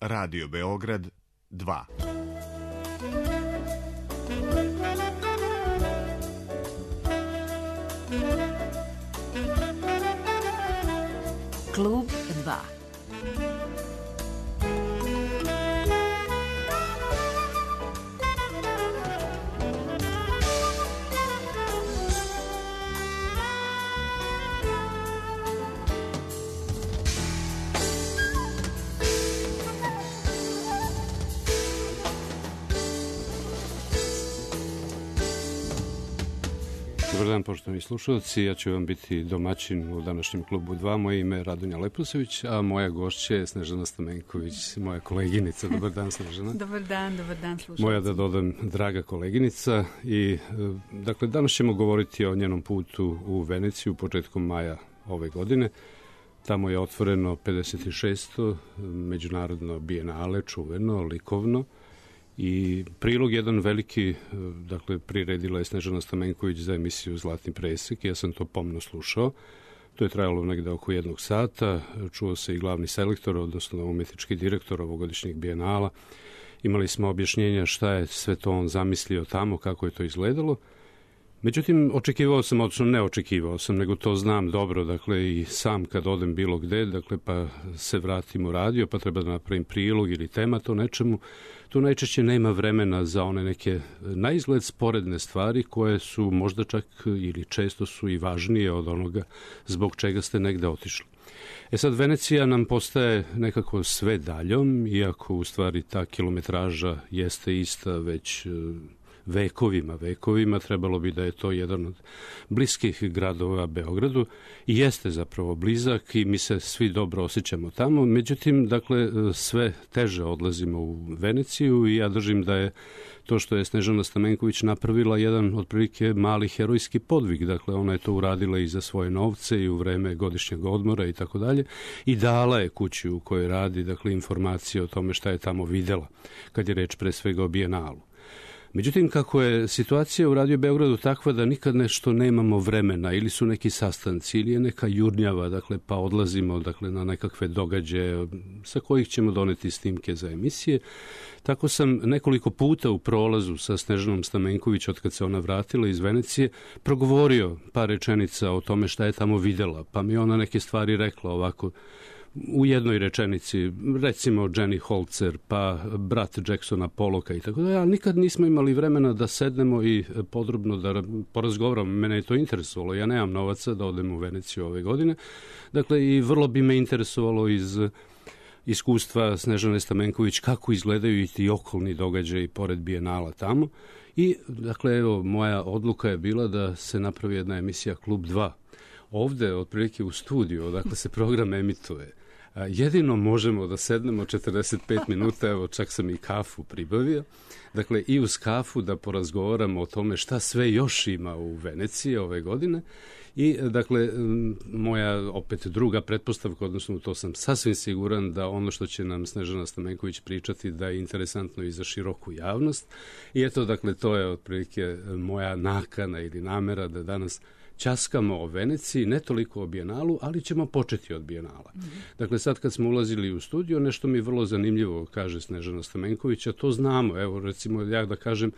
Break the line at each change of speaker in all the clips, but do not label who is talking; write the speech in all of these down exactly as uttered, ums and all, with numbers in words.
Radio Beograd dva.
Klub dva.
Dobar dan, poštovani slušalci. Ja ću vam biti domaćin u današnjem klubu dva. Moje ime je Radonja Leposević, a moja gošća je Snežana Stamenković, moja koleginica. Dobar dan, Snežana.
Dobar dan, dobar dan, slušalci.
Moja, da dodam, draga koleginica. I, dakle, danas ćemo govoriti o njenom putu u Veneciju početkom maja ove godine. Tamo je otvoreno pedeset šesto međunarodno bijenale, čuveno, likovno. I prilog jedan veliki, dakle, priredila je Snežana Stamenković za emisiju Zlatni presek. Ja sam to pomno slušao. To je trajalo negde oko jednog sata. Čuo se i glavni selektor, odnosno umetnički direktor ovogodišnjeg bijenala. Imali smo objašnjenja šta je sve to on zamislio tamo, kako je to izgledalo. Međutim, očekivao sam, odnosno ne očekivao sam, nego to znam dobro, dakle, i sam kad odem bilo gde, dakle, pa se vratim u radio, pa treba da napravim prilog ili tema to nečemu, tu najčešće nema vremena za one neke na izgled sporedne stvari koje su možda čak ili često su i važnije od onoga zbog čega ste negde otišli. E sad, Venecija nam postaje nekako sve daljom, iako u stvari ta kilometraža jeste ista već vekovima, vekovima, trebalo bi da je to jedan od bliskih gradova Beogradu i jeste zapravo blizak i mi se svi dobro osjećamo tamo. Međutim, dakle, sve teže odlazimo u Veneciju i ja držim da je to što je Snežana Stamenković napravila jedan otprilike mali herojski podvig. Dakle, ona je to uradila i za svoje novce i u vreme godišnjeg odmora i tako dalje i dala je kući u kojoj radi, dakle, informacije o tome šta je tamo videla, kad je reč pre svega o bijenalu. Međutim, kako je situacija u Radio Beogradu takva da nikad nešto nemamo vremena, ili su neki sastanci, ili je neka jurnjava, dakle, pa odlazimo, dakle, na nekakve događaje sa kojih ćemo doneti snimke za emisije. Tako sam nekoliko puta u prolazu sa Snežanom Stamenković, od kad se ona vratila iz Venecije, progovorio par rečenica o tome šta je tamo videla, pa mi ona neke stvari rekla ovako, u jednoj rečenici, recimo Jenny Holzer, pa brat Jacksona Pollocka i tako da, ali nikad nismo imali vremena da sednemo i podrobno da porazgovaramo. Mene je to interesovalo, ja nemam novaca da odem u Veneciju ove godine, dakle i vrlo bi me interesovalo iz iskustva Snežane Stamenković kako izgledaju i ti okolni događaji pored bijenala tamo i, dakle, evo, moja odluka je bila da se napravi jedna emisija Klub dva. Ovde, otprilike u studiju, odakle se program emituje, jedino možemo da sednemo četrdeset pet minuta, evo čak sam i kafu pribavio, dakle i uz kafu da porazgovaramo o tome šta sve još ima u Veneciji ove godine i, dakle, moja opet druga pretpostavka, odnosno to sam sasvim siguran da ono što će nam Snežana Stamenković pričati da je interesantno i za široku javnost i eto, dakle, to je otprilike moja nakana ili namera da danas ćaskamo o Veneciji, ne toliko o bijenalu, ali ćemo početi od bijenala. Mm-hmm. Dakle, sad kad smo ulazili u studio, nešto mi vrlo zanimljivo kaže Snežana Stamenković, a to znamo. Evo, recimo, ja da kažem,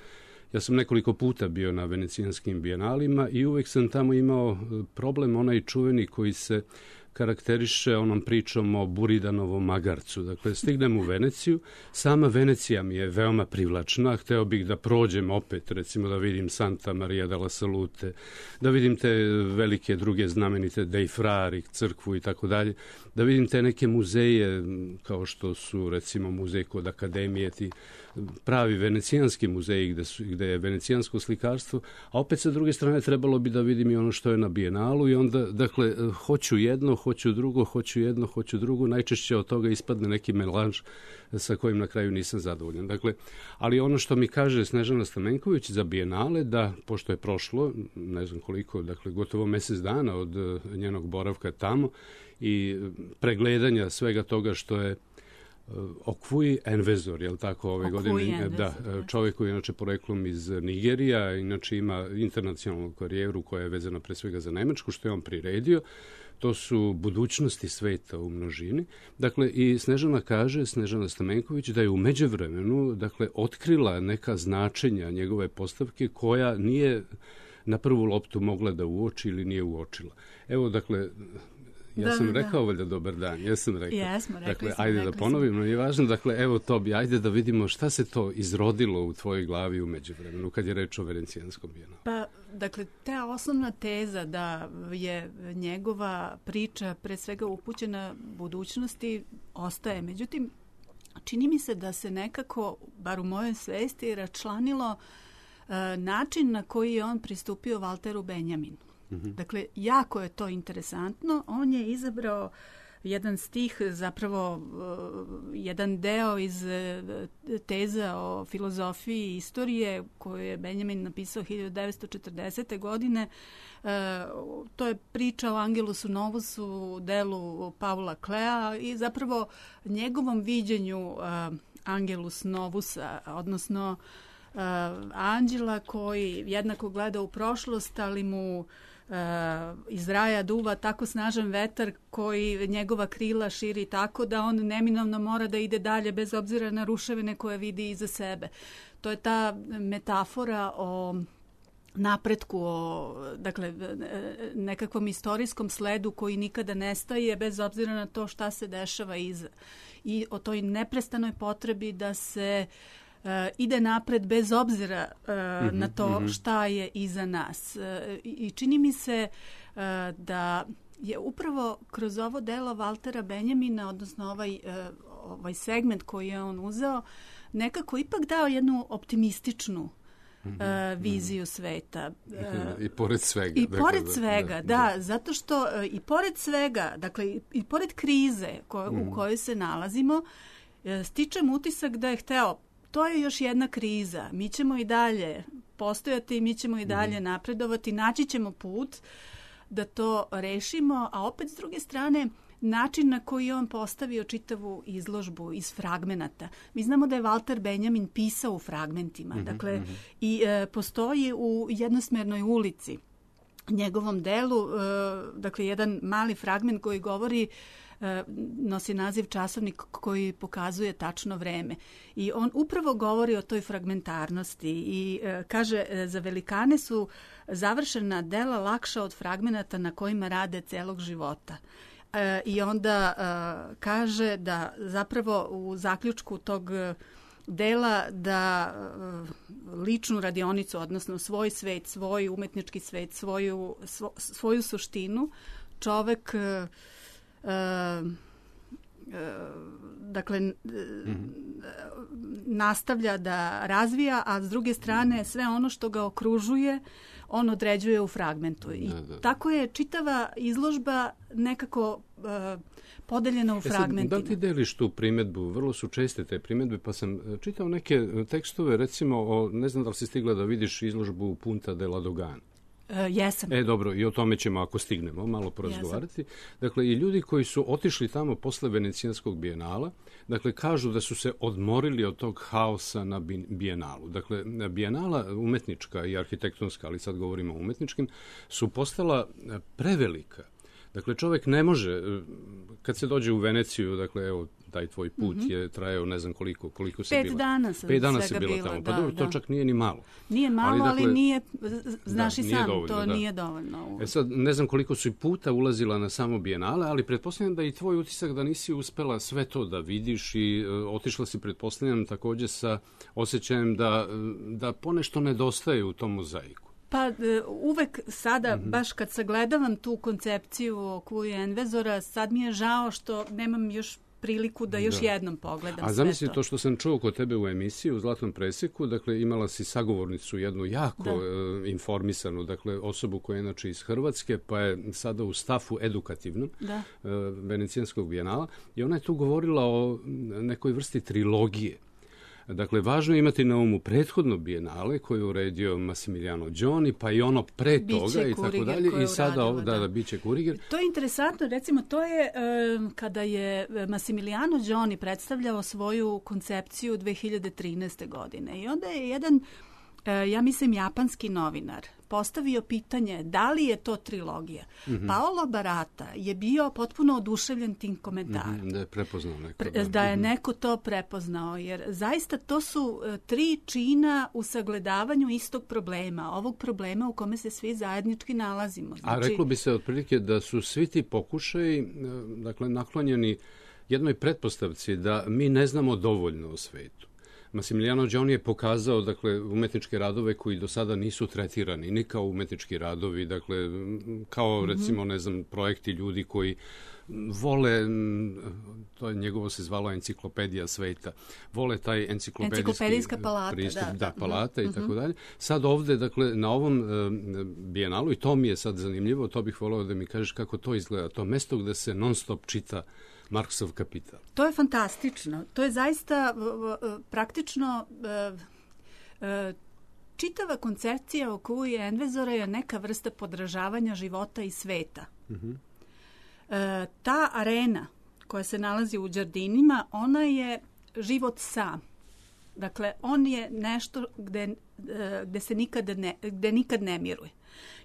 ja sam nekoliko puta bio na venecijanskim bijenalima i uvek sam tamo imao problem, onaj čuveni koji se karakteriše onom pričom o Buridanovom magarcu. Dakle, stignem u Veneciju, sama Venecija mi je veoma privlačna, hteo bih da prođem opet, recimo da vidim Santa Maria della Salute, da vidim te velike druge znamenite Dei Frari, crkvu i tako dalje, da vidim te neke muzeje kao što su, recimo, muzej kod Akademije, ti pravi venecijanski muzeji gde, su, gde je venecijansko slikarstvo, a opet sa druge strane trebalo bi da vidim i ono što je na bijenalu i onda, dakle, hoću jedno, hoću drugo, hoću jedno, hoću drugo, najčešće od toga ispadne neki melanž sa kojim na kraju nisam zadovoljan. Dakle, ali ono što mi kaže Snežana Stamenković za bijenale, da, pošto je prošlo, ne znam koliko, dakle, gotovo mesec dana od njenog boravka tamo i pregledanja svega toga što je Okvuji Envezor, je li tako, ove godine? Da, čovjek koji je inače poreklom iz Nigerija, inače ima internacionalnu karijeru koja je vezana pre svega za Nemačku, što je on priredio. to su budućnosti sveta u množini. Dakle, i Snežana kaže, Snežana Stamenković, da je u međuvremenu, dakle, otkrila neka značenja njegove postavke koja nije na prvu loptu mogla da uoči ili nije uočila. Evo, dakle, ja
da,
sam
da.
rekao valjda dobar dan, ja sam rekao.
Jesmo, rekli
dakle,
smo,
ajde
rekli
da ponovimo, nije važno, dakle, evo to bi, ajde da vidimo šta se to izrodilo u tvojoj glavi u međuvremenu, kad je reč o Venecijanskom bijenalu.
Pa, dakle, ta osnovna teza da je njegova priča pre svega upućena budućnosti ostaje. Međutim, čini mi se da se nekako, bar u mojoj svesti, račlanilo uh, način na koji je on pristupio Valteru Benjaminu. Mm-hmm. Dakle, jako je to interesantno. On je izabrao jedan stih, zapravo uh, jedan deo iz uh, teza o filozofiji i istorije koju je Benjamin napisao hiljadu devetsto četrdesete. godine. Uh, to je priča o Angelusu Novusu, delu Paula Klea i zapravo njegovom viđenju uh, Angelus Novusa, odnosno uh, anđela koji jednako gleda u prošlost, ali mu Uh, iz raja duva tako snažan vetar koji njegova krila širi tako da on neminovno mora da ide dalje bez obzira na ruševine koje vidi iza sebe. To je ta metafora o napretku, o dakle, nekakvom istorijskom sledu koji nikada nestaje bez obzira na to šta se dešava iza. I o toj neprestanoj potrebi da se Uh, ide napred bez obzira uh, mm-hmm, na to mm-hmm. šta je iza nas. Uh, I čini mi se uh, da je upravo kroz ovo delo Valtera Benjamina, odnosno ovaj, uh, ovaj segment koji je on uzeo, nekako ipak dao jednu optimističnu mm-hmm, uh, viziju mm-hmm. sveta.
Uh, I pored svega.
I
dakle,
pored
da,
svega, da,
da,
da, zato što uh, i pored svega, dakle i, i pored krize ko, mm-hmm. u kojoj se nalazimo, uh, stičem utisak da je hteo to je još jedna kriza. Mi ćemo i dalje postojati, mi ćemo i dalje napredovati, naći ćemo put da to rešimo, a opet s druge strane način na koji je on postavio čitavu izložbu iz fragmenata. Mi znamo da je Valter Benjamin pisao u fragmentima, mm-hmm, dakle mm-hmm. i e, postoji u jednosmernoj ulici njegovom delu, e, dakle jedan mali fragment koji govori nosi naziv Časovnik koji pokazuje tačno vreme. I on upravo govori o toj fragmentarnosti i e, kaže, za velikane su završena dela lakša od fragmenata na kojima rade celog života. E, I onda e, kaže da zapravo u zaključku tog dela da e, ličnu radionicu, odnosno svoj svet, svoj umetnički svet, svoju, svo, svoju suštinu, čovek e, Uh, uh, dakle mm-hmm. nastavlja da razvija, a s druge strane sve ono što ga okružuje on određuje u fragmentu. I da, da. Tako je čitava izložba nekako uh, podeljena u fragmentima.
E sad, da li ti deliš tu primedbu? Vrlo su česte te primedbe, pa sam čitao neke tekstove, recimo, o, ne znam da li si stigla da vidiš izložbu Punta della Dogana.
Uh, jesam.
E, dobro, i o tome ćemo, ako stignemo, malo porazgovarati. Dakle, i ljudi koji su otišli tamo posle Venecijanskog bijenala, dakle, kažu da su se odmorili od tog haosa na bijenalu. Dakle, bijenala umetnička i arhitektonska, ali sad govorimo o umetničkim, su postala prevelika. Dakle, čovjek ne može, kad se dođe u Veneciju, dakle, evo, taj tvoj put mm-hmm. je trajao ne znam koliko, koliko si
Pet
bila.
Dana sam
Pet dana si
svega
bila
bila,
tamo. Pa
da,
dobro,
da.
to čak nije ni malo.
Nije malo, ali, dakle, ali nije, znaš
da,
i sam,
dovoljno,
to
da.
nije dovoljno.
E sad, ne znam koliko si puta ulazila na samo bijenale, ali pretpostavljam da i tvoj utisak da nisi uspela sve to da vidiš i uh, otišla si, pretpostavljam, takođe sa osjećajem da, da ponešto nedostaje u tom mozaiku.
Pa uvek sada, mm-hmm. baš kad sagledavam tu koncepciju o Kluji Envezora, sad mi je žao što nemam još priliku da još da. jednom pogledam sve to. A
zamisli to što sam čuo kod tebe u emisiji u Zlatnom preseku, dakle imala si sagovornicu jednu jako da. e, informisanu, dakle osobu koja je inače iz Hrvatske, pa je sada u stafu edukativnom da. e, Venecijanskog bijenala i ona je tu govorila o nekoj vrsti trilogije. Dakle, važno je imati na umu prethodno bijenale koje je uredio Massimiliano Gioni, pa i ono pre biće toga i tako dalje. I sada ovo, da, da, biće Kuriger.
To je interesantno, recimo, to je um, kada je Massimiliano Gioni predstavljao svoju koncepciju dve hiljade trinaeste. godine. I onda je jedan, uh, ja mislim, japanski novinar postavio pitanje da li je to trilogija. Mm-hmm. Paolo Barata je bio potpuno oduševljen tim komentarom.
Mm-hmm, da je prepoznao neko.
Pre, da je neko to prepoznao, jer zaista to su tri čina u sagledavanju istog problema, ovog problema u kome se svi zajednički nalazimo.
Znači, a reklo bi se otprilike da su svi ti pokušaji, dakle, naklonjeni jednoj pretpostavci da mi ne znamo dovoljno o svetu. Massimiliano Gioni je pokazao, dakle, umetničke radove koji do sada nisu tretirani, ni kao umetnički radovi, dakle, kao, mm-hmm. recimo, ne znam, projekti ljudi koji vole, to je njegovo se zvalo enciklopedija sveta, vole taj enciklopedijski
palata,
pristup,
da,
da, palata
mm-hmm.
i tako dalje. Sad ovde, dakle, na ovom uh, bijenalu, i to mi je sad zanimljivo, to bih voleo da mi kažeš kako to izgleda, to mesto gde se non stop čita Marksov Kapital.
To je fantastično. To je zaista praktično čitava koncepcija oko Uwe Endvezora je neka vrsta podražavanja života i sveta. Mm-hmm. Ta arena koja se nalazi u Đardinima, ona je život sam. Dakle, on je nešto gde, gde se nikad ne, gde nikad ne miruje.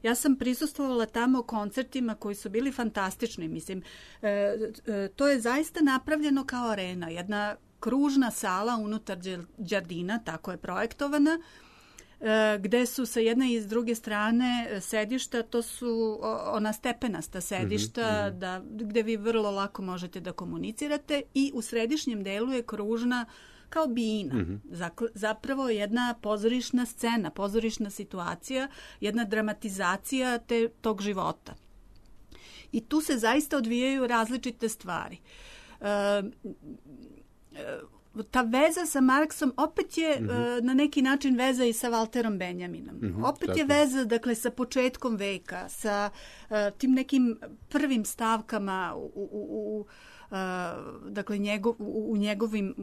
Ja sam prisustvovala tamo koncertima koji su bili fantastični. Mislim, e, e, to je zaista napravljeno kao arena. Jedna kružna sala unutar Đardina, tako je projektovana, e, gde su sa jedne i s druge strane sedišta, to su ona stepenasta sedišta, mm-hmm. da, gde vi vrlo lako možete da komunicirate, i u središnjem delu je kružna kao bina. Mm-hmm. Zapravo jedna pozorišna scena, pozorišna situacija, jedna dramatizacija te, tog života. I tu se zaista odvijaju različite stvari. E, ta veza sa Marksom opet je mm-hmm. e, na neki način veza i sa Walterom Benjaminom. Mm-hmm, opet tako je veza, dakle, sa početkom veka, sa e, tim nekim prvim stavkama u, u, u Uh, dakle njegov, u, u njegovim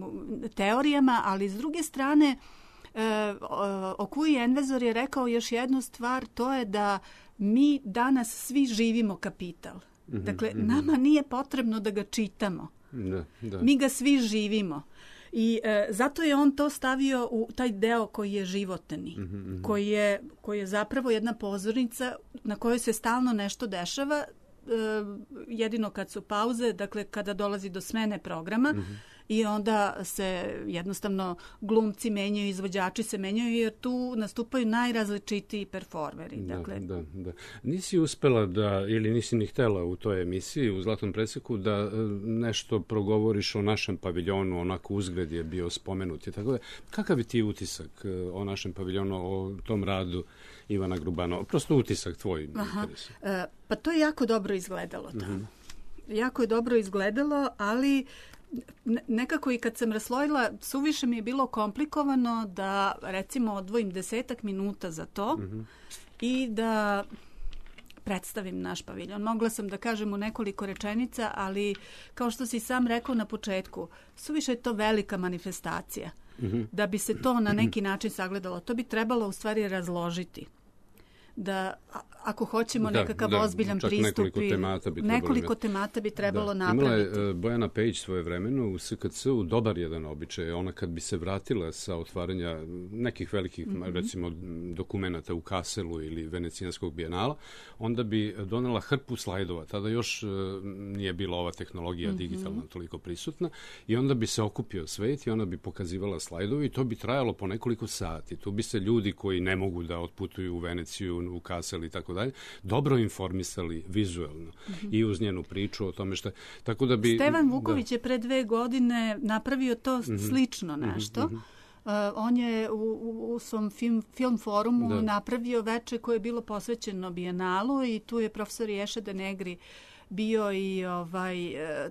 teorijama, ali s druge strane uh, Okuji Envezor je rekao još jednu stvar, to je da mi danas svi živimo kapital. Mm-hmm, dakle, mm-hmm. nama nije potrebno da ga čitamo.
Da, da.
Mi ga svi živimo. I e, zato je on to stavio u taj deo koji je životni, mm-hmm. koji je, koji je zapravo jedna pozornica na kojoj se stalno nešto dešava, jedino kad su pauze, dakle kada dolazi do smene programa, mm-hmm. i onda se jednostavno glumci menjaju, izvođači se menjaju, jer tu nastupaju najrazličitiji performeri.
Da,
dakle.
da, da. Nisi uspela da, ili nisi ni htela u toj emisiji, u Zlatnom preseku, da nešto progovoriš o našem paviljonu, onako uzgred je bio spomenut i tako da. Kakav je ti utisak o našem paviljonu, o tom radu Ivana Grubanova? Prosto utisak tvoj.
Aha. E, pa to je jako dobro izgledalo tamo. Mm-hmm. Jako je dobro izgledalo, ali nekako i kad sam raslojila, suviše mi je bilo komplikovano da, recimo, odvojim desetak minuta za to, mm-hmm. i da predstavim naš paviljon. Mogla sam da kažem u nekoliko rečenica, ali kao što si sam rekao na početku, suviše je to velika manifestacija. Mm-hmm. Da bi se to na neki način sagledalo, to bi trebalo u stvari razložiti. Da ako hoćemo da, nekakav da, ozbiljan pristup,
nekoliko temata bi trebalo,
nekoliko temata bi trebalo da. napraviti.
Imala je Bojana Pejić svoje vremeno u S K C-u dobar jedan običaj. Ona kad bi se vratila sa otvaranja nekih velikih, mm-hmm. recimo, dokumenata u Kaselu ili Venecijanskog bijenala, onda bi donela hrpu slajdova. Tada još uh, nije bila ova tehnologija mm-hmm. digitalna toliko prisutna, i onda bi se okupio svet i ona bi pokazivala slajdovi i to bi trajalo po nekoliko sati. Tu bi se ljudi koji ne mogu da otputuju u Veneciju, u Kasel i tako dalje, dobro informisali vizuelno, mm-hmm. i uz njenu priču o tome što... Tako da bi,
Stevan Vuković da. je pre dve godine napravio to mm-hmm. slično nešto. Mm-hmm. Uh, on je u, u, u svom film, film forumu da. napravio veče koje je bilo posvećeno bijenalu, i tu je profesor Ješa de Negri bio, i ovaj,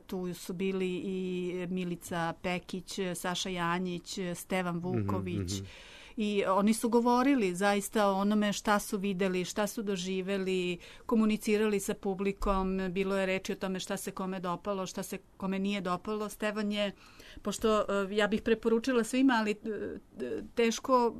tu su bili i Milica Pekić, Saša Janjić, Stevan Vuković, mm-hmm. i oni su govorili zaista o onome šta su videli, šta su doživeli, komunicirali sa publikom, bilo je reči o tome šta se kome dopalo, šta se kome nije dopalo. Stevan je, pošto ja bih preporučila svima, ali teško,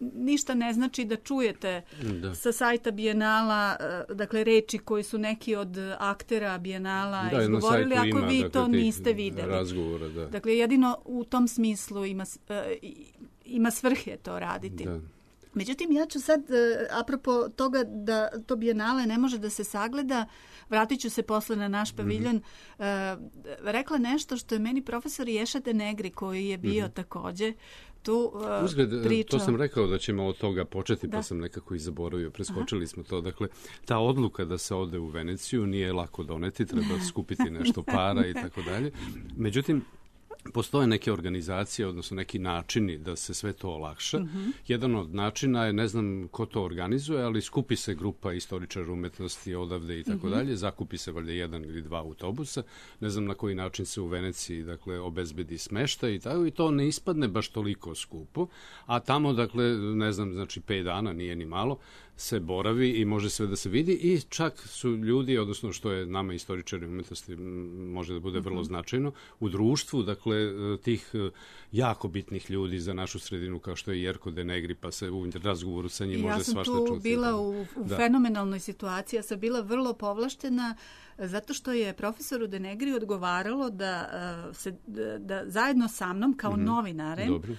ništa ne znači da čujete da. sa sajta Bijenala, dakle reči koji su neki od aktera Bijenala da, izgovorili, ako ima, vi dakle, to niste videli.
Razgovora, da. Dakle,
jedino u tom smislu ima, ima svrhe to raditi. Da. Međutim, ja ću sad, apropo toga da to bijenale ne može da se sagleda, vratit ću se posle na naš paviljon, mm-hmm. rekla nešto što je meni profesor Ješa de Negri, koji je bio mm-hmm. takođe tu uh,
Uzgled,
pričao.
To sam rekao da ćemo od toga početi,
da.
Pa sam nekako i zaboravio, preskočili Aha. smo to. Dakle, ta odluka da se ode u Veneciju nije lako doneti, treba skupiti nešto para i tako dalje. Međutim, postoje neke organizacije, odnosno neki načini da se sve to olakša. Mm-hmm. Jedan od načina je, ne znam ko to organizuje, ali skupi se grupa istoričara umetnosti odavde i tako mm-hmm. dalje, zakupi se valjda jedan ili dva autobusa, ne znam na koji način se u Veneciji, dakle, obezbedi smeštaj i tako, i to ne ispadne baš toliko skupo, a tamo, dakle, ne znam, znači pet dana, nije ni malo, se boravi i može sve da se vidi i čak su ljudi, odnosno što je nama istoričari umetnosti može da bude vrlo značajno, u društvu, dakle, tih jako bitnih ljudi za našu sredinu kao što je Jerko de Negri, pa se u razgovoru sa njim može svašta čuti.
Ja sam tu bila u, u fenomenalnoj situaciji, ja sam bila vrlo povlaštena zato što je profesoru de Negri odgovaralo da, se, da, da zajedno sa mnom kao mm-hmm. novinarem Dobro.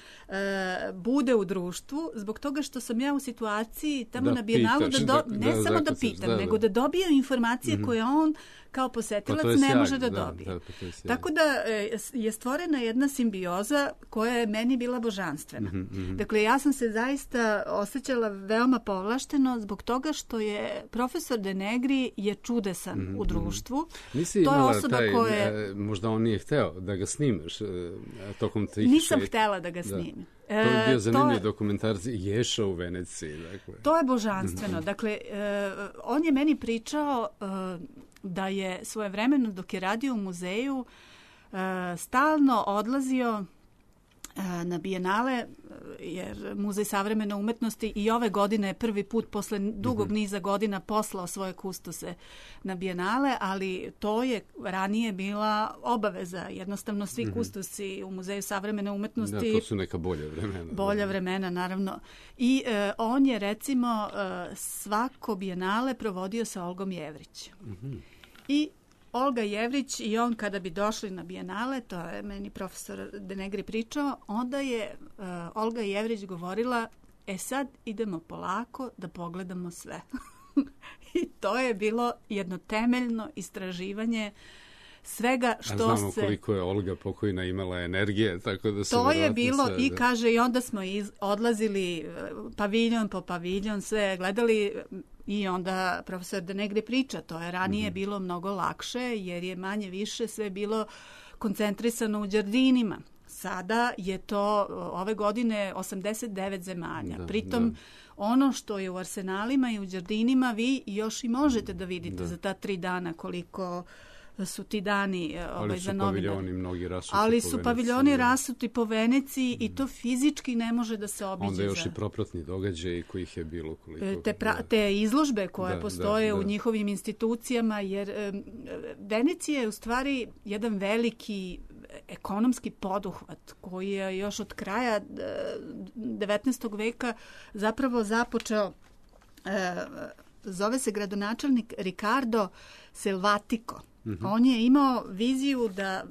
bude u društvu, zbog toga što sam ja u situaciji tamo da na bijenalu da, do, ne da, samo da pitam, da, da. nego da dobije informacije mm-hmm. koje on kao posetilac
pa
ne
sjaj,
može da,
da
dobije.
Da, pa
tako da je stvorena jedna simbioza koja je meni bila božanstvena. Mm-hmm. Dakle, ja sam se zaista osjećala veoma povlašteno zbog toga što je profesor de Negri je čudesan mm-hmm. u društvu.
Nisi
to je
imala
osoba
taj,
koje...
možda on nije hteo da ga snimaš tokom tih
Nisam
šet...
htela da ga snimim.
To je bio zanimljiv
je,
dokumentarci Ješa u Veneciji. Dakle.
To je božanstveno. Dakle, uh, on je meni pričao uh, da je svojevremeno dok je radio u muzeju uh, stalno odlazio na bijenale, jer Muzej savremene umetnosti i ove godine je prvi put posle dugog niza godina poslao svoje kustose na bijenale, ali to je ranije bila obaveza. Jednostavno svi mm-hmm. kustosi u Muzeju savremene umetnosti...
Da, to su neka bolja vremena.
Bolja vremena, naravno. I uh, on je, recimo, uh, svako bijenale provodio sa Olgom Jevrić. Mm-hmm. I Olga Jevrić i on kada bi došli na bijenale, to je meni profesor de Negri pričao, onda je uh, Olga Jevrić govorila, e sad idemo polako da pogledamo sve. I to je bilo jedno temeljno istraživanje svega što se... A
znamo
se...
koliko je Olga pokojna imala energije, tako da se...
To je bilo
sve,
i
da...
kaže, i onda smo iz, odlazili paviljon po paviljon, sve gledali... I onda profesor de Negri priča, to je ranije mm-hmm. bilo mnogo lakše jer je manje više sve bilo koncentrisano u đardinima. Sada je to ove godine osamdeset devet zemalja. Da, Pritom da. ono što je u arsenalima i u đardinima vi još i možete da vidite da. za ta tri dana koliko su ti dani ovaj, za novinare.
Ali su paviljoni mnogi rasuti
Ali
po
su
Veneciji.
paviljoni rasuti po Veneciji mm. i to fizički ne može da se obiđe.
Onda još za... i propratni događaji kojih je bilo koliko.
Te, pra, te izložbe koje da, postoje
da, da.
u njihovim institucijama, jer um, Venecija je u stvari jedan veliki ekonomski poduhvat koji je još od kraja devetnaestog veka zapravo započeo. Uh, zove se gradonačelnik Ricardo Selvatico. Mm-hmm. On je imao viziju da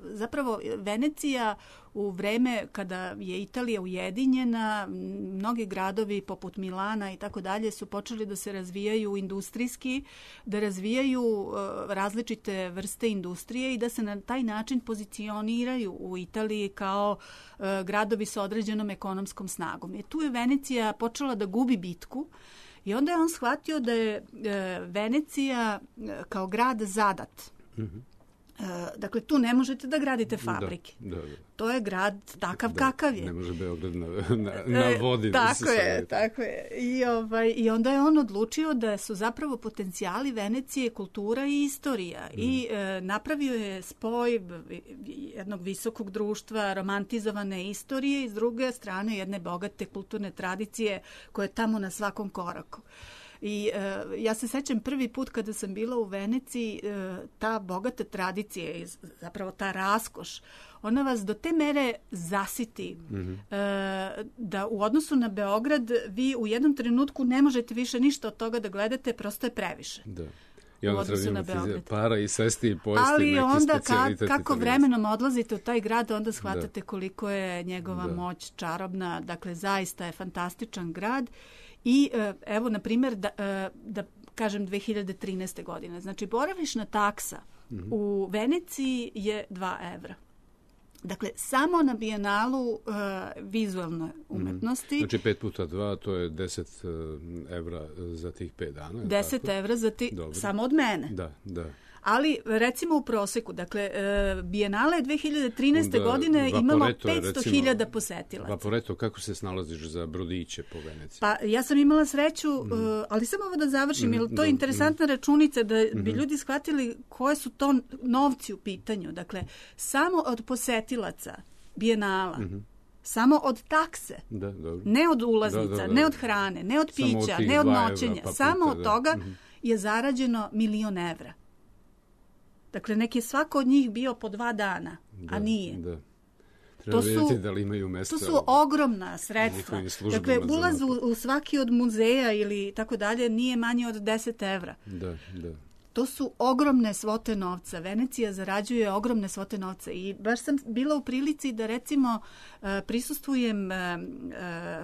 zapravo Venecija u vreme kada je Italija ujedinjena, mnogi gradovi poput Milana i tako dalje su počeli da se razvijaju industrijski, da razvijaju uh, različite vrste industrije i da se na taj način pozicioniraju u Italiji kao uh, gradovi sa određenom ekonomskom snagom. I tu je Venecija počela da gubi bitku. I onda je on shvatio da je e, Venecija e, kao grad zadat. Mm-hmm. E, dakle, tu ne možete da gradite fabrike.
Da, da, da.
To je grad takav
da,
kakav je.
Ne može Beograd na, na, na vodi.
E, tako da je, tako je. I, ovaj, I onda je on odlučio da su zapravo potencijali Venecije kultura i istorija. Mm. I e, napravio je spoj jednog visokog društva, romantizovane istorije i s druge strane jedne bogate kulturne tradicije koje je tamo na svakom koraku. I e, ja se sećam prvi put kada sam bila u Veneciji, e, ta bogata tradicija, zapravo ta raskoš, ona vas do te mere zasiti mm-hmm. e, da u odnosu na Beograd vi u jednom trenutku ne možete više ništa od toga da gledate, prosto je previše.
Da. I onda
odnosu
treba
na
imati
Beograd.
para i sesti i pojesti
Ali
neki
onda
specijalitet.
ka, kako vremenom odlazite u taj grad, onda shvatate
da.
koliko je njegova
da.
moć čarobna. Dakle, zaista je fantastičan grad. I evo, na primjer, da, da kažem dve hiljade trinaeste. godine. Znači, boravišna taksa mm-hmm. u Veneciji je dva evra. Dakle, samo na Bijenalu uh, vizualne umetnosti.
Znači, pet puta dva, to je deset evra za tih pet dana.
Deset
tako?
evra za ti,
Dobro.
samo od mene.
Da, da.
Ali, recimo u proseku, dakle, uh, Bijenala je dve hiljade trinaeste. Onda, godine imalo petsto hiljada posetilaca.
Vaporeto, kako se snalaziš za brodiće po Veneciji?
Pa, ja sam imala sreću, mm. uh, ali samo ovo da završim, mm, jer to je interesantna mm. računica da mm-hmm. bi ljudi shvatili koje su to novci u pitanju. Dakle, samo od posetilaca Bijenala, mm-hmm. samo od takse,
da, dobro.
ne od ulaznica,
da, da, da.
ne od hrane, ne od pića,
od
ne od noćenja,
evra, pa
samo
puta,
od toga
mm-hmm.
je zarađeno milion evra. Dakle, nek je svako od njih bio po dva dana,
da,
a nije.
Da. Treba vidjeti da li imaju mesta.
To su ogromna sredstva. Dakle, ulaz u, u svaki od muzeja ili tako dalje nije manje od deset evra.
Da, da.
To su ogromne svote novca. Venecija zarađuje ogromne svote novca i baš sam bila u prilici da recimo prisustvujem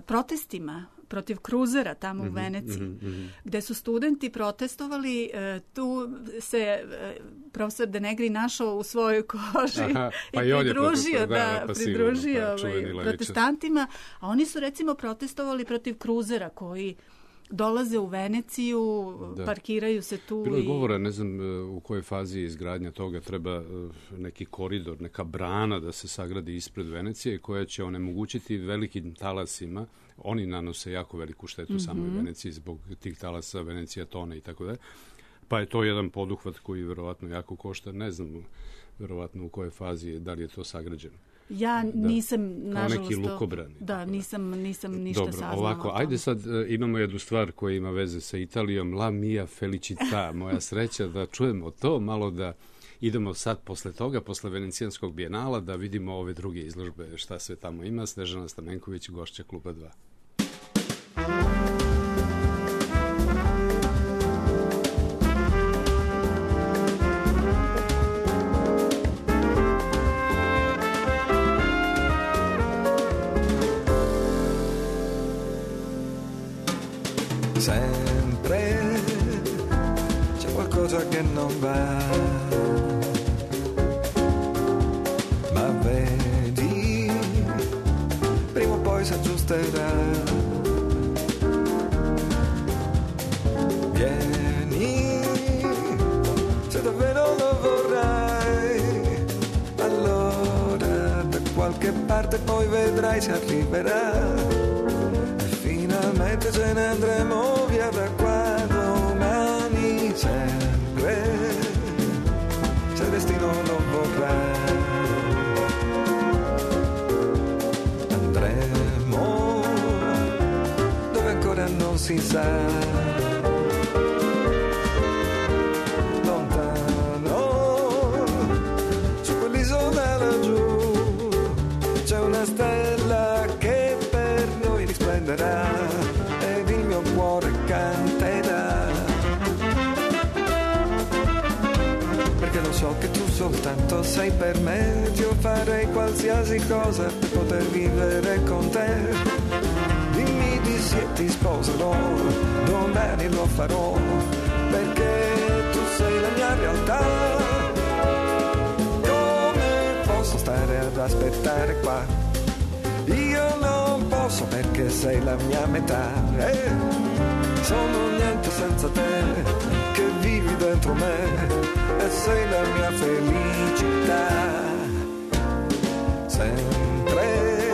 protestima protiv kruzera tamo mm-hmm, u Veneciji, mm-hmm. gde su studenti protestovali, tu se profesor De Negri našao u svojoj koži. Aha, pa i, i pridružio, da, da, da pridružio pa, ovaj, protestantima, a oni su recimo protestovali protiv kruzera koji dolaze u Veneciju, da. Parkiraju se tu.
Bilo je govora, ne znam u kojoj fazi je izgradnja toga, treba neki koridor, neka brana da se sagradi ispred Venecije koja će onemogućiti velikim talasima. Oni nanose jako veliku štetu mm-hmm. samoj Veneciji zbog tih talasa, Venecija tone i tako dalje. Pa je to jedan poduhvat koji verovatno jako košta. Ne znam verovatno u kojoj fazi je, da li je to sagrađeno.
Ja nisam,
da,
nažalost...
Kao neki lukobrani.
Da, nisam, nisam ništa
Dobro,
saznala.
Ovako, ajde sad uh, imamo jednu stvar koja ima veze sa Italijom. La mia felicità, moja sreća da čujemo to, malo da idemo sad posle toga, posle Venecijanskog bijenala, da vidimo ove druge izložbe, šta sve tamo ima. Snežana Stamenković, gošća Kluba dva.
Sempre c'è qualcosa che non va, ma vedi, prima o poi si aggiusterà. Vieni, se davvero lo vorrai, allora da qualche parte poi vedrai si arriverà. Finalmente ce ne andremo via da qua domani, sempre, se il destino lo vorrà. Andremo dove ancora non si sa, lontano, su quell'isola laggiù, c'è una stella che per noi risplenderà ed il mio cuore canterà, perché lo so che tu soltanto sei per me. Io farei qualsiasi cosa per poter vivere con te. Dimmi di sì e ti sposerò, domani lo farò, perché tu sei la mia realtà. Come posso stare ad aspettare qua? Io non posso perché sei la mia metà. Eh, sono niente senza te, che vivi dentro me e sei la mia felicità. Sempre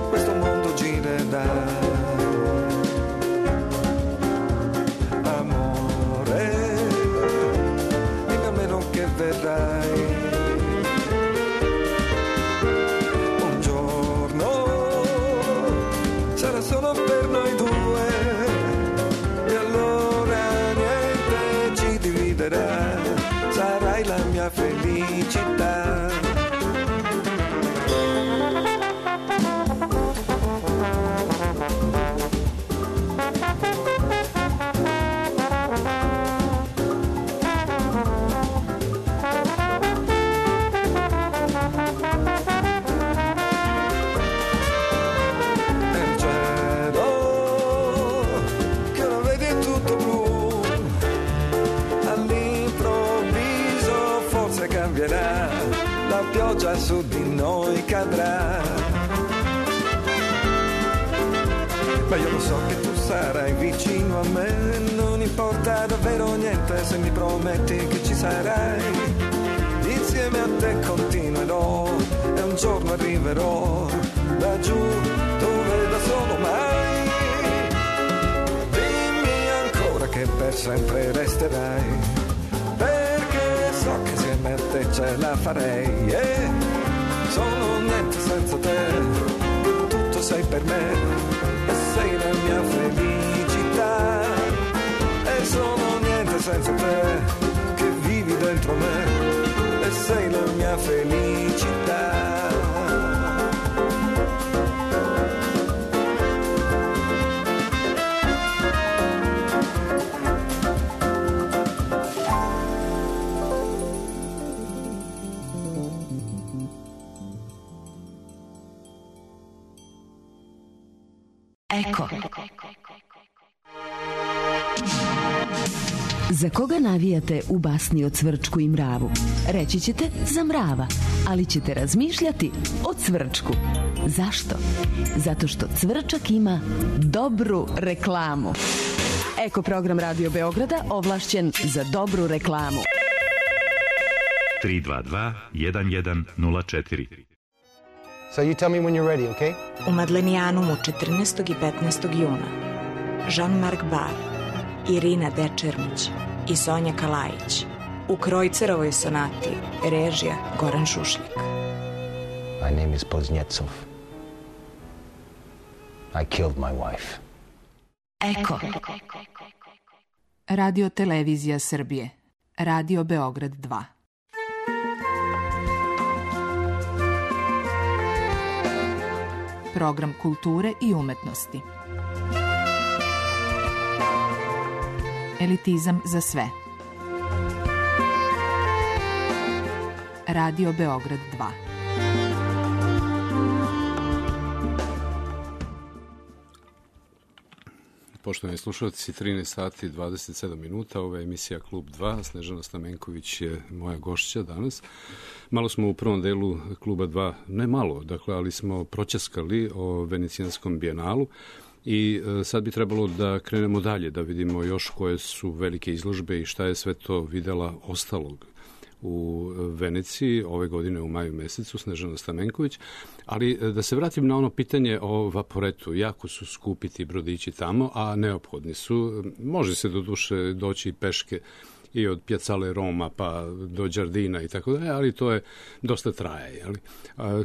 questo mondo girerà. Amore, dimmi a meno che verrai. Solo per noi due, e allora niente ci dividerà, sarai la mia felicità. nuvola su di noi cadrà. Ma io lo so che tu sarai vicino a me, non importa davvero niente se mi prometti che ci sarai. Insieme a te continuerò e un giorno arriverò laggiù dove da solo mai. Dimmi ancora che per sempre resterai, perché so che insieme a te ce la farei. Yeah. Sono niente senza te, tutto sei per me. Sei la mia felicità e sono niente senza te che vivi dentro me e sei la mia felicità.
Eko. Za koga navijate u basni o Cvrčku i mravu? Reći ćete za mrava, ali ćete razmišljati o Cvrčku. Zašto? Zato što Cvrčak ima dobru reklamu. Eko program Radio Beograda ovlašćen za dobru reklamu.
tri dva dva jedan jedan nula četiri.
So you tell me when you're ready, okay?
U Madlenijanumu četrnaestog i petnaestog juna Jean-Marc Bar, Irina Dečermić i Sonja Kalajić u Krojcerovoj sonati, režija Goran Šušljak.
My name is Poznjecov. I killed my wife.
Eko.
Radio Televizija Srbije. Radio Beograd dva. Program kulture i umetnosti. Elitizam za sve. Radio Beograd dva.
Poštovani slušalci, trinaest sati i dvadeset sedam minuta, ova je emisija Klub dva, Snežana Stamenković je moja gošća danas. Malo smo u prvom delu Kluba dva, ne malo, dakle, ali smo proćaskali o Venecijanskom bijenalu i sad bi trebalo da krenemo dalje, da vidimo još koje su velike izložbe i šta je sve to videla ostalog u Veneciji ove godine u maju mesecu, Snežana Stamenković. Ali da se vratim na ono pitanje o Vaporetu. Jako su skupi ti brodići tamo, a neophodni su. Može se do duše doći peške i od Piazzale Roma pa do Đardina i tako dalje, ali to je dosta traje. Jeli?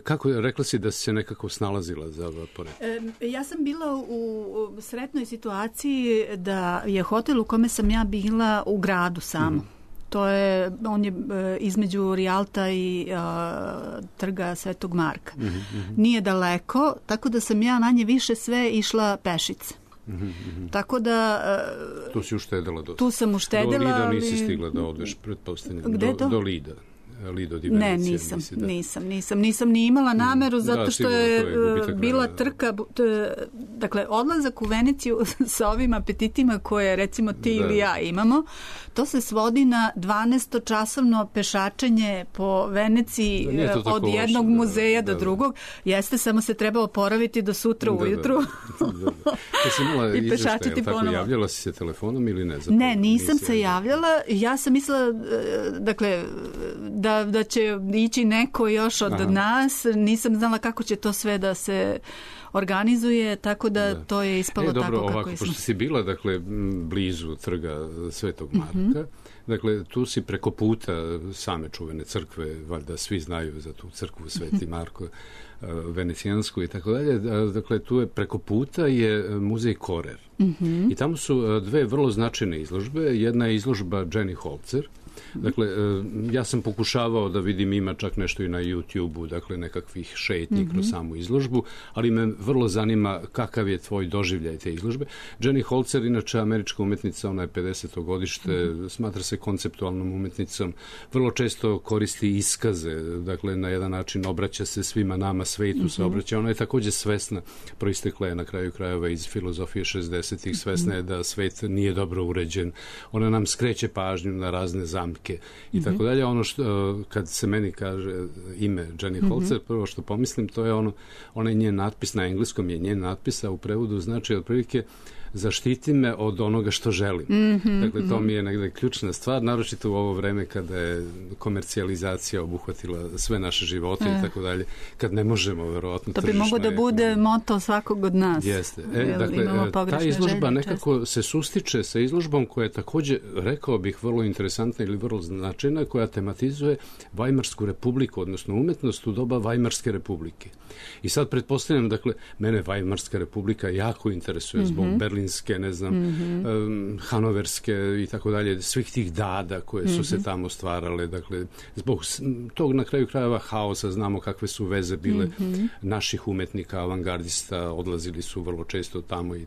Kako je, rekla si da si se nekako snalazila za Vaporet?
E, ja sam bila u sretnoj situaciji da je hotel u kome sam ja bila u gradu samo. Mm. To je, on je e, između Rialta i e, trga Svetog Marka. Mm-hmm. Nije daleko, tako da sam ja manje više sve išla pešice. Mm-hmm. Tako da... E,
tu si uštedela dosta.
Tu sam uštedela.
Do Lida
ali...
nisi stigla da odeš, pretpostavljam.
Gde
do,
to?
Do Lida. Lido di Venecija.
Ne, nisam,
nisi, da. nisam,
nisam, nisam ni imala nameru zato da, što je, je bila trka, dakle, odlazak u Veneciju sa ovim apetitima koje recimo ti da. ili ja imamo, to se svodi na dvanaestočasovno pešačenje po Veneciji
da,
od jednog loše, muzeja da, do da, drugog. Jeste, samo se treba oporaviti do sutra da, ujutru.
Da, da, da. Da si imala
i pešačiti ponovo.
Javljala si se telefonom ili ne? Zapravo,
ne, nisam se javljala. Ja sam mislila, dakle, da, da će ići neko još od Aha. nas. Nisam znala kako će to sve da se organizuje, tako da, da. to je ispalo e, dobro, tako kako
ovako,
je.
Pošto si bila, dakle, blizu trga Svetog Marka, mm-hmm. dakle, tu si preko puta same čuvene crkve, valjda svi znaju za tu crkvu Sveti Marko, venecijansku i tako dalje. Dakle, tu je preko puta je muzej Korer. Mm-hmm. I tamo su dve vrlo značajne izložbe. Jedna je izložba Jenny Holzer. Dakle, ja sam pokušavao da vidim, ima čak nešto i na YouTube-u, dakle, nekakvih šetnji mm-hmm. kroz samu izložbu, ali me vrlo zanima kakav je tvoj doživljaj te izložbe. Jenny Holzer, inače američka umetnica, ona je pedeseto godište, mm-hmm. smatra se konceptualnom umetnicom, vrlo često koristi iskaze, dakle, na jedan način obraća se svima nama, svetu mm-hmm. se obraća. Ona je takođe svesna, proistekla je na kraju krajeva iz filozofije šezdesetih, svesna je da svet nije dobro uređen. Ona nam skreće pažnju na razne zamene jamke i tako dalje. Ono što, kad se meni kaže ime Jenny Holzer, prvo što pomislim, to je ono, onaj njen natpis, na engleskom je njen natpis, a u prevodu znači otprilike zaštiti me od onoga što želim. Mm-hmm, dakle, to mi je negde ključna stvar, naročito u ovo vreme kada je komercijalizacija obuhvatila sve naše živote e. i tako dalje, kad ne možemo, verovatno,
to bi mogo da bude moto svakog od nas.
Jeste. E, dakle, ta izložba nekako često se sustiče sa izložbom koja je takođe, rekao bih, vrlo interesantna ili vrlo značajna, koja tematizuje Vajmarsku republiku, odnosno umetnost u doba Vajmarske republike. I sad pretpostavljam, dakle, mene Vajmarska republika jako interesuje mm-hmm. zbog berlinske, ne znam, mm-hmm. um, hanoverske i tako dalje, svih tih dada koje su mm-hmm. se tamo stvarale, dakle, zbog tog na kraju krajeva haosa, znamo kakve su veze bile mm-hmm. naših umetnika, avangardista, odlazili su vrlo često tamo i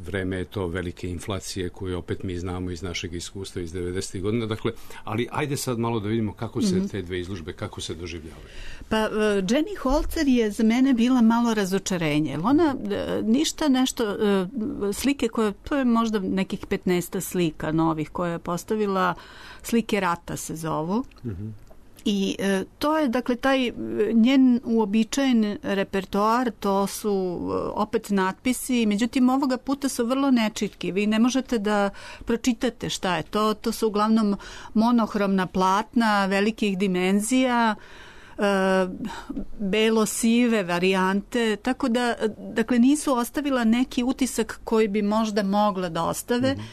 vreme je to velike inflacije koje opet mi znamo iz našeg iskustva iz devedesetih godina, dakle, ali ajde sad malo da vidimo kako se mm-hmm. te dve izložbe, kako se doživljavaju.
Pa, uh, Jenny Holzer je za mene bila malo razočarenje. Ona uh, ništa nešto, uh, slike koje, to je možda nekih petnaest slika novih koje je postavila, slike rata se zovu. Mm-hmm. I e, to je, dakle, taj njen uobičajen repertoar, to su e, opet natpisi, međutim ovoga puta su vrlo nečitki. Vi ne možete da pročitate šta je to. To su uglavnom monohromna platna velikih dimenzija, e, belo-sive varijante, tako da, dakle, nisu ostavila neki utisak koji bi možda mogla da ostave. Mm-hmm.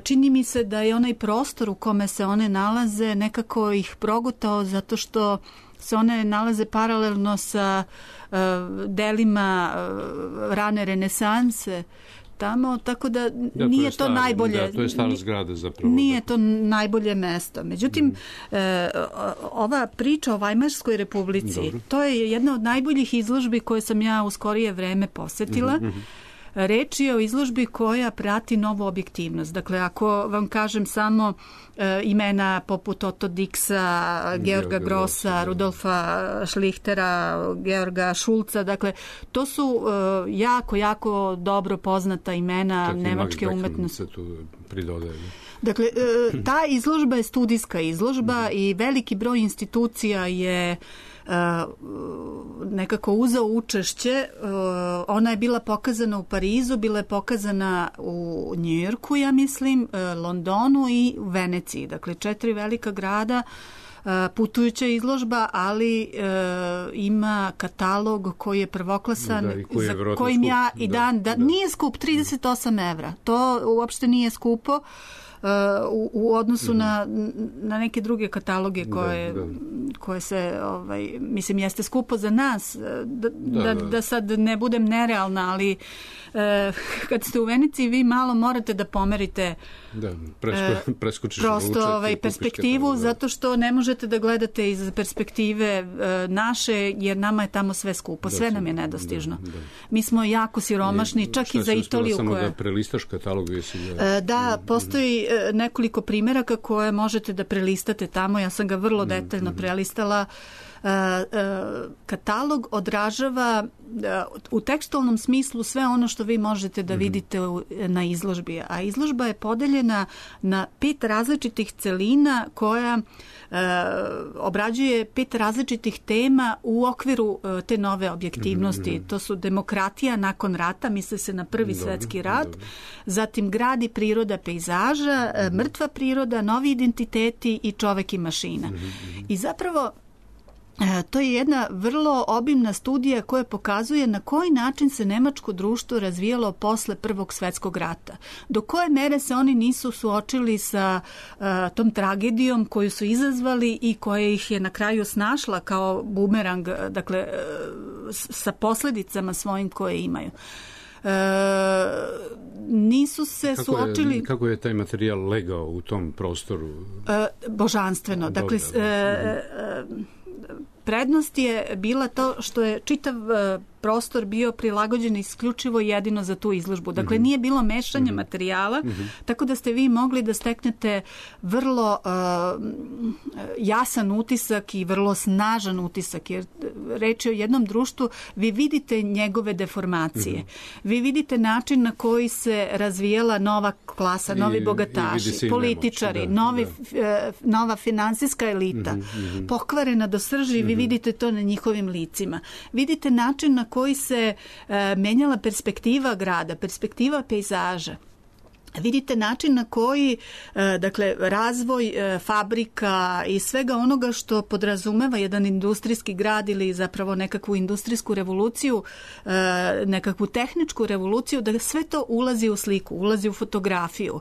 Čini mi se da je onaj prostor u kome se one nalaze nekako ih progutao zato što se one nalaze paralelno sa uh, delima uh, rane renesanse tamo, tako da, da nije to, to stara, najbolje.
Da, to je stara zgrada zapravo.
Nije to najbolje mesto. Međutim, mm. e, ova priča o Vajmarskoj republici, dobro, to je jedna od najboljih izložbi koje sam ja u skorije vreme posetila. Mm-hmm. Reč je o izložbi koja prati novu objektivnost. Dakle, ako vam kažem samo e, imena poput Otto Dixa, Georga Grossa, da. Rudolfa Schlichtera, Georga Schulza, dakle, to su e, jako, jako dobro poznata imena čak nemačke umetnosti.
Tu pridodaje.
Dakle, e, ta izložba je studijska izložba mm-hmm. i veliki broj institucija je Uh, nekako uzeo učešće. Uh, ona je bila pokazana u Parizu, bila je pokazana u Njujorku, ja mislim, uh, Londonu i u Veneciji. Dakle, četiri velika grada, uh, putujuća izložba, ali uh, ima katalog koji je prvoklasan,
da, koji je
za kojim ja i dan, da, da, nije skup, trideset osam evra. To uopšte nije skupo. Uh, u, u odnosu mm. na, na neke druge kataloge koje, da, da. koje se, ovaj, mislim, jeste skupo za nas, da, da, da, da sad ne budem nerealna, ali uh, kad ste u Veneciji vi malo morate da pomerite
da, presko, preskočiš
prosto ovaj, perspektivu, katalog, zato što ne možete da gledate iz perspektive uh, naše, jer nama je tamo sve skupo, da, sve nam je nedostižno. Da, da. Mi smo jako siromašni, I, čak i za Italiju.
Samo
koja...
da prelistaš katalog? Jesi da,
uh, da, postoji nekoliko primjeraka koje možete da prelistate tamo. Ja sam ga vrlo detaljno mm-hmm. prelistala. Uh, uh, katalog odražava uh, u tekstualnom smislu sve ono što vi možete da mm-hmm. vidite u, na izložbi. A izložba je podeljena na pet različitih celina koja uh, obrađuje pet različitih tema u okviru uh, te nove objektivnosti. Mm-hmm. To su demokratija nakon rata, misle se na prvi dobro, svetski rat, dobro. Zatim grad i priroda pejzaža, mm-hmm. mrtva priroda, novi identiteti i čovek i mašina. Mm-hmm. I zapravo to je jedna vrlo obimna studija koja pokazuje na koji način se nemačko društvo razvijalo posle Prvog svetskog rata. Do koje mere se oni nisu suočili sa uh, tom tragedijom koju su izazvali i koja ih je na kraju snašla kao bumerang, dakle, uh, sa posledicama svojim koje imaju. E, nisu se
kako
suočili...
Je, kako je taj materijal legao u tom prostoru?
E, božanstveno. Dakle, e, e, prednost je bila to što je čitav prostor bio prilagođen isključivo jedino za tu izložbu. Dakle, nije bilo mešanja mm-hmm. materijala, mm-hmm. tako da ste vi mogli da steknete vrlo uh, jasan utisak i vrlo snažan utisak, jer reč je o jednom društvu, vi vidite njegove deformacije. Mm-hmm. Vi vidite način na koji se razvijala nova klasa, novi
I,
bogataši,
i
političari,
nemoć, da,
novi,
da.
nova finansijska elita, mm-hmm. pokvarena do srži, mm-hmm. vi vidite to na njihovim licima. Vidite način na koji se uh, menjala perspektiva grada, perspektiva pejzaža. Vidite način na koji, dakle, razvoj fabrika i svega onoga što podrazumeva jedan industrijski grad ili zapravo nekakvu industrijsku revoluciju, nekakvu tehničku revoluciju, da sve to ulazi u sliku, ulazi u fotografiju.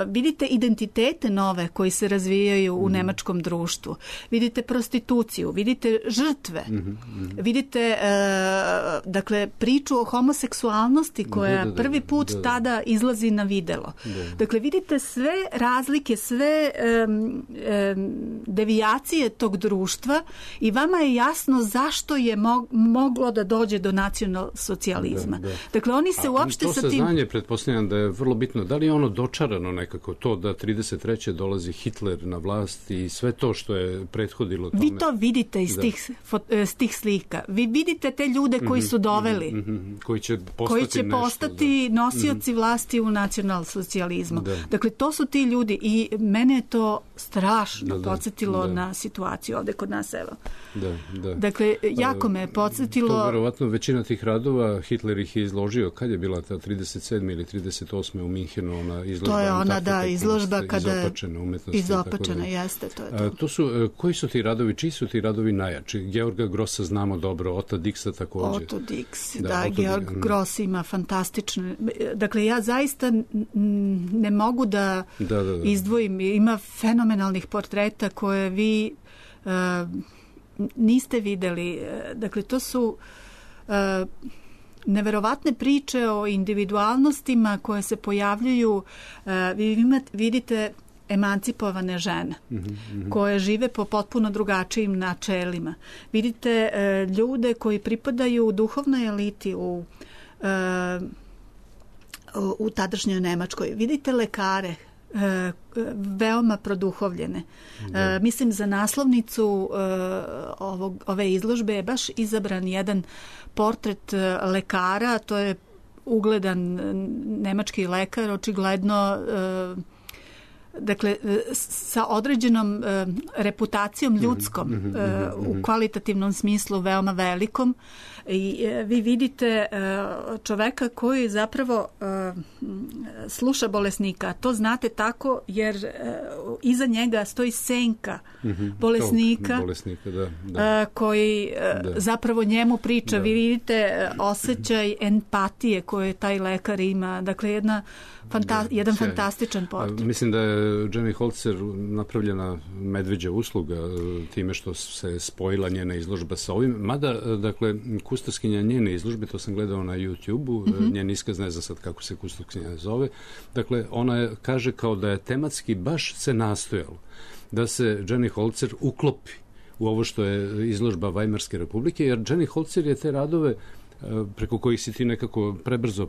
Vidite identitete nove koji se razvijaju u nemačkom društvu. Vidite prostituciju, vidite žrtve, vidite, dakle, priču o homoseksualnosti koja
da, da, da,
prvi put da, da. tada izlazi na videlo. Da. Dakle, vidite sve razlike, sve um, um, devijacije tog društva i vama je jasno zašto je mo- moglo da dođe do nacionalsocijalizma. Da, da. Dakle, oni se
A,
uopšte sa tim...
To saznanje, pretpostavljam da je vrlo bitno. Da li je ono dočarano nekako to da trideset treće dolazi Hitler na vlast i sve to što je prethodilo tome?
Vi to vidite iz, da. tih, iz tih slika. Vi vidite te ljude koji su doveli.
Mm-hmm. Koji će postati,
koji će
nešto,
postati
da.
nosioci
mm-hmm.
vlasti u nacionalsocijalizmu.
Da.
Dakle, to su ti ljudi i mene je to strašno
da,
podsjetilo
da.
na situaciju ovde kod nas, evo.
Da, da.
Dakle, jako me podsjetilo...
To verovatno većina tih radova Hitler ih je izložio. Kad je bila ta trideset sedme ili trideset osme u Minhenu, ona izložba?
To je ona, da, izložba kada je
izopačena umetnosti.
Izopačena, jeste, to je to.
A, to su, koji su ti radovi, čiji su ti radovi najjači? Georga Grossa znamo dobro, Ota Dixa takođe.
Otto Dix, da, da Otto Georg Dix. Gross ima fantastične... Dakle, ja zaista ne mogu da, da, da, da. izdvojim. Ima fenomenalnih portreta koje vi uh, niste videli. Dakle, to su uh, neverovatne priče o individualnostima koje se pojavljuju. Uh, vi imate, vidite emancipovane žene mm-hmm. koje žive po potpuno drugačijim načelima. Vidite uh, ljude koji pripadaju u duhovnoj eliti, u uh, u tadašnjoj Nemačkoj. Vidite lekare, e, veoma produhovljene. E, mislim, za naslovnicu e, ovog, ove izložbe je baš izabran jedan portret lekara, to je ugledan nemački lekar, očigledno e, dakle, sa određenom e, reputacijom ljudskom, mm-hmm, mm-hmm. e, u kvalitativnom smislu veoma velikom. I e, vi vidite e, čoveka koji zapravo e, sluša bolesnika. To znate tako jer e, iza njega stoji senka mm-hmm. bolesnika,
bolesnika da, da.
E, koji e, da. zapravo njemu priča. Da. Vi vidite osjećaj empatije koje taj lekar ima. Dakle, jedna Fanta- da, jedan sjaj. fantastičan portret.
Mislim da je Jenny Holzer napravljena medveđa usluga time što se spojila njena izložba sa ovim. Mada, dakle, kustoskinja njene izložbe, to sam gledao na YouTube-u, mm-hmm. njen iskaz, ne znam sad kako se kustoskinja zove, dakle, ona je, kaže kao da je tematski baš se nastojalo da se Jenny Holzer uklopi u ovo što je izložba Vajmarske republike, jer Jenny Holzer je te radove preko kojih si ti nekako prebrzo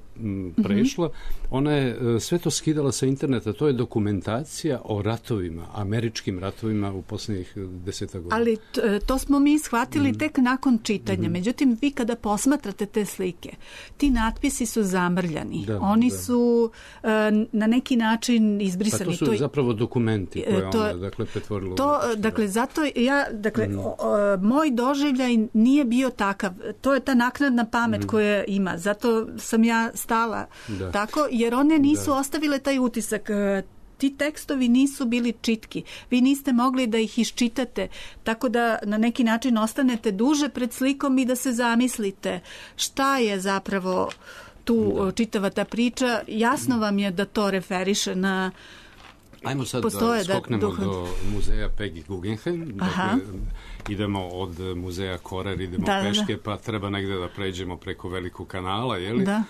prešla, mm-hmm. ona je sve to skidala sa interneta. To je dokumentacija o ratovima, američkim ratovima u posljednjih deseta godina.
Ali t- to smo mi shvatili mm-hmm. tek nakon čitanja. Mm-hmm. Međutim, vi kada posmatrate te slike, ti natpisi su zamrljani. Da, Oni da. su uh, na neki način izbrisani.
Pa to su to je, zapravo dokumenti koje to, ona dakle, pretvorila.
To, dakle, zato ja, dakle, mm-hmm. o, o, moj doživljaj nije bio takav. To je ta naknadna pamet mm. koje ima. Zato sam ja stala da. tako, jer one nisu da. ostavile taj utisak. Ti tekstovi nisu bili čitki. Vi niste mogli da ih iščitate, tako da na neki način ostanete duže pred slikom i da se zamislite šta je zapravo tu da. čitava ta priča. Jasno vam je da to referiše na...
Ajmo sad Postoje da skoknemo da, duh... do muzeja Peggy Guggenheim. Dakle, idemo od muzeja Korer, idemo da, peške, da. pa treba negde da pređemo preko velikog kanala, je li?
Da.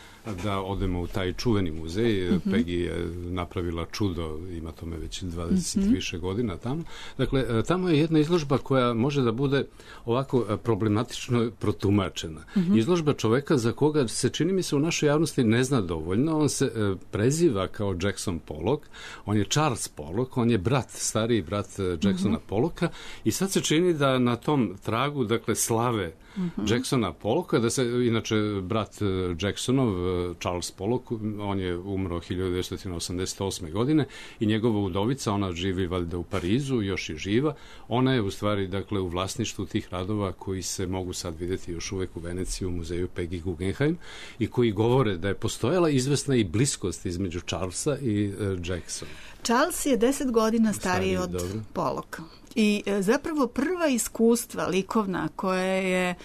da odemo u taj čuveni muzej. Mm-hmm. Peggy je napravila čudo, ima tome već dvadeset mm-hmm. više godina tamo. Dakle, tamo je jedna izložba koja može da bude ovako problematično protumačena. Mm-hmm. Izložba čoveka za koga se, čini mi se, u našoj javnosti ne zna dovoljno. On se e, preziva kao Jackson Pollock, on je Charles Pollock, on je brat, stariji brat Jacksona mm-hmm. Pollocka i sad se čini da na tom tragu, dakle, slave mm-hmm. Jacksona Pollocka, da se, inače, brat Jacksonov, Charles Pollock, on je umro hiljadu devetsto osamdeset osme. godine i njegova udovica, ona živi valjda u Parizu, još je živa, ona je u stvari, dakle, u vlasništvu tih radova koji se mogu sad vidjeti još uvek u Veneciji u muzeju Peggy Guggenheim i koji govore da je postojala izvesna i bliskost između Charlesa i uh, Jacksona.
Charles je deset godina stariji od dobro. Pollocka. I e, zapravo prva iskustva likovna koje je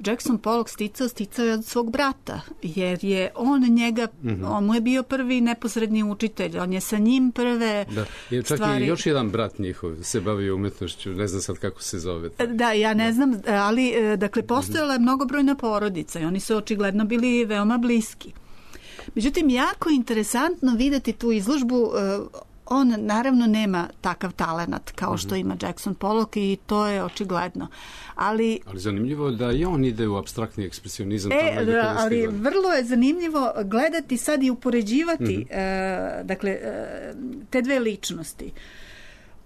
Jackson Pollock sticao, sticao je od svog brata, jer je on njega, mm-hmm. on mu je bio prvi neposredni učitelj, on je sa njim prve
da. Je čak stvari... i još jedan brat njihov se bavio umetnošću, ne znam sad kako se zove.
Da, ja ne da. znam, ali dakle, postojala je mnogobrojna porodica i oni su očigledno bili veoma bliski. Međutim, jako interesantno videti tu izložbu. On naravno nema takav talenat kao što ima Jackson Pollock i to je očigledno. Ali,
ali zanimljivo da i on ide u apstraktni ekspresionizam.
E, da, ali vrlo je zanimljivo gledati sad i upoređivati mm-hmm. e, dakle, e, te dve ličnosti.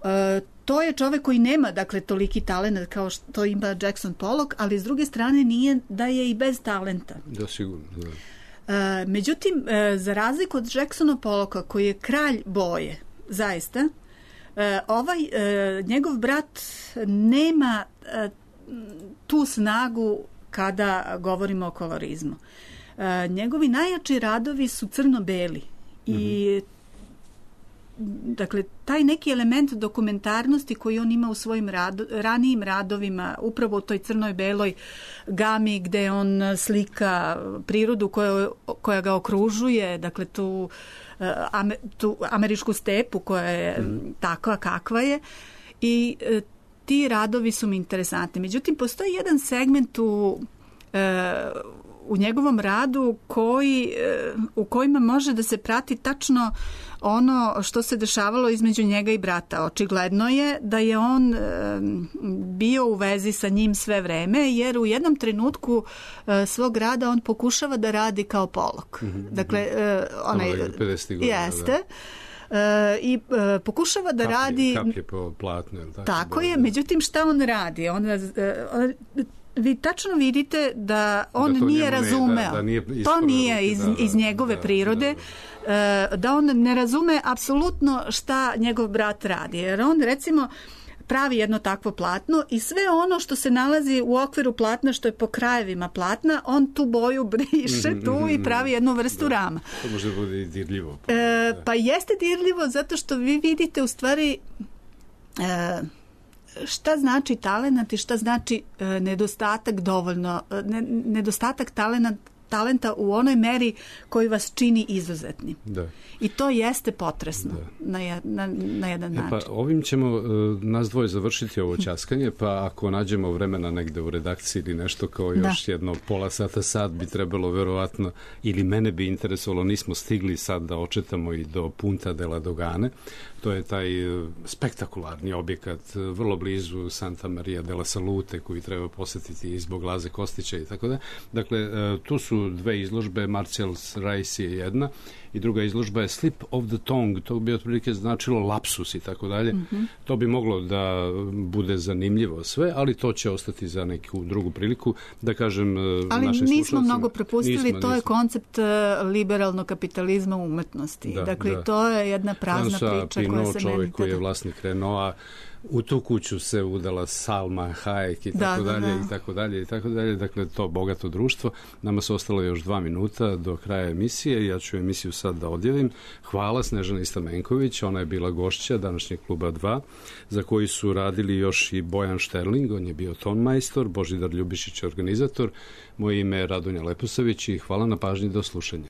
E, to je čovek koji nema, dakle, toliki talent kao što ima Jackson Pollock, ali s druge strane nije da je i bez talenta.
Da, sigurno, da.
E, međutim, e, za razliku od Jacksona Pollocka, koji je kralj boje, zaista, e, ovaj, e, njegov brat nema e, tu snagu kada govorimo o kolorizmu. E, njegovi najjači radovi su crno-beli i mm-hmm. dakle, taj neki element dokumentarnosti koji on ima u svojim rado, ranijim radovima, upravo u toj crnoj-beloj gami gde on slika prirodu koja, koja ga okružuje, dakle tu, ame, tu američku stepu koja je mm. takva kakva je i e, ti radovi su mi interesantni. Međutim, postoji jedan segment u e, u njegovom radu koji, u kojima može da se prati tačno ono što se dešavalo između njega i brata. Očigledno je da je on bio u vezi sa njim sve vreme, jer u jednom trenutku svog rada on pokušava da radi kao Pollock. Mm-hmm. Dakle, onaj jeste. Uh, i uh, pokušava da
kaplje,
radi
kaplje po platnu, tako,
tako je, međutim šta on radi? On, uh, on vi tačno vidite da on da nije razumeo. Ne, da, da nije to nije iz, da, iz njegove da, prirode. Da, da. da on ne razume apsolutno šta njegov brat radi. Jer on, recimo, pravi jedno takvo platno i sve ono što se nalazi u okviru platna, što je po krajevima platna, on tu boju briše mm-hmm, tu mm-hmm, i pravi jednu vrstu
da.
rama.
To može bude i dirljivo.
Pa, e, pa jeste dirljivo zato što vi vidite u stvari... E, šta znači talenat i šta znači e, nedostatak dovoljno, ne, nedostatak talenta, talenta u onoj meri koji vas čini izuzetnim.
Da.
I to jeste potresno na, je, na, na jedan
e,
način.
Pa ovim ćemo uh, nas dvoje završiti ovo ćaskanje, pa ako nađemo vremena negde u redakciji ili nešto kao još da. jedno pola sata, sad bi trebalo verovatno, ili mene bi interesovalo, nismo stigli sad da očetamo i do Punta della Dogane. To je taj spektakularni objekat vrlo blizu Santa Maria della Salute koji treba posjetiti i zbog Laze Kostića i tako da. Dakle, tu su dve izložbe, Marcel's Rice je jedna i druga izložba je Slip of the Tongue, to bi otprilike značilo lapsus i tako dalje. Mm-hmm. To bi moglo da bude zanimljivo sve, ali to će ostati za neku drugu priliku, da kažem
ali
našim
nismo slušalcima. mnogo propustili, nismo, to nismo. je koncept liberalnog kapitalizma u umetnosti. Da, dakle, da. to je jedna prazna Francois priča
Pinault,
koja se
čovjek
meni...
koji je vlasnik Renaulta, u tu kuću se udala Salma Hayek i tako da, dalje da, da. i tako dalje i tako dalje. Dakle, to bogato društvo. Nama su ostalo još dva minuta do kraja emisije. Ja ću emisiju sad da odjavim. Hvala Snežani Stamenković. Ona je bila gošća današnjeg Kluba dva, za koji su radili još i Bojan Šterling. On je bio tonmajstor. Božidar Ljubišić je organizator. Moje ime je Radonja Leposavić i hvala na pažnji, do slušanja.